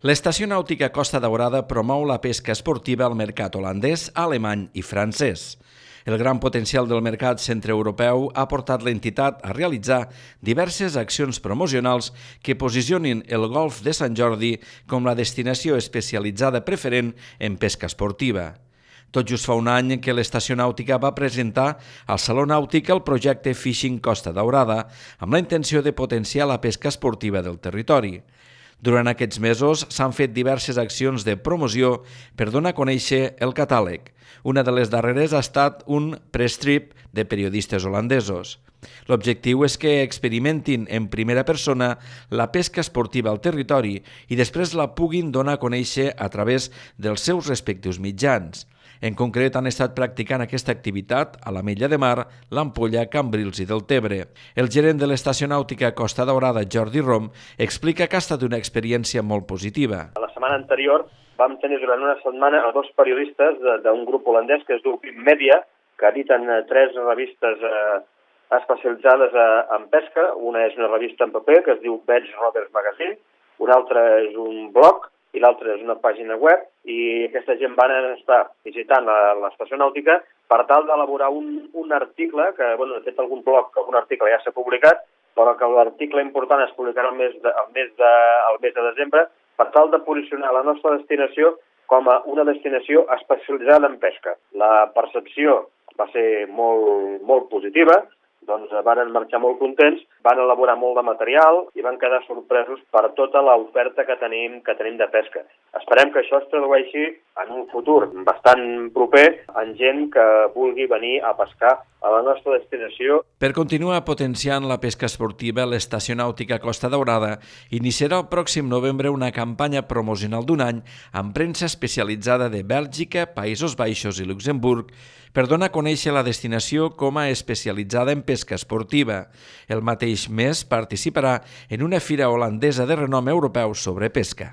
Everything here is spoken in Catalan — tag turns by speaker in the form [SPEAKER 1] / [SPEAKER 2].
[SPEAKER 1] L'Estació Nàutica Costa Daurada promou la pesca esportiva al mercat holandès, alemany i francès. El gran potencial del mercat centreeuropeu ha portat l'entitat a realitzar diverses accions promocionals que posicionin el Golf de Sant Jordi com la destinació especialitzada preferent en pesca esportiva. Tot just fa un any que l'Estació Nàutica va presentar al Saló Nàutic el projecte Fishing Costa Daurada amb la intenció de potenciar la pesca esportiva del territori. Durant aquests mesos s'han fet diverses accions de promoció per donar a conèixer el catàleg. Una de les darreres ha estat un press trip de periodistes holandesos. L'objectiu és que experimentin en primera persona la pesca esportiva al territori i després la puguin donar a conèixer a través dels seus respectius mitjans. En concret, han estat practicant aquesta activitat a l'Ametlla de Mar, l'Ampolla, Cambrils i Deltebre. El gerent de l'Estació Nàutica Costa Daurada, Jordi Rom, explica que ha estat una experiència molt positiva.
[SPEAKER 2] La setmana anterior vam tenir durant una setmana a dos periodistes d'un grup holandès que es diu Media, que editen 3 revistes especialitzades en pesca. Una és una revista en paper que es diu Veg Rovers Magazine, una altra és un blog i l'altra és una pàgina web, i aquesta gent van estar visitant l'Estació Nàutica per tal d'elaborar un article, que de fet algun blog, algun article ja s'ha publicat, però que l'article important es publicarà el mes de desembre, per tal de posicionar la nostra destinació com a una destinació especialitzada en pesca. La percepció va ser molt positiva, doncs van marxar molt contents, van elaborar molt de material i van quedar sorpresos per tota l'oferta que tenim de pesca. Esperem que això es tradueixi en un futur bastant proper en gent que vulgui venir a pescar a la nostra destinació.
[SPEAKER 1] Per continuar potenciant la pesca esportiva, l'Estació Nàutica Costa Daurada iniciarà el pròxim novembre una campanya promocional d'un any amb premsa especialitzada de Bèlgica, Països Baixos i Luxemburg per donar a conèixer la destinació com a especialitzada en pesca esportiva. El mateix mes participarà en una fira holandesa de renom europeu sobre pesca.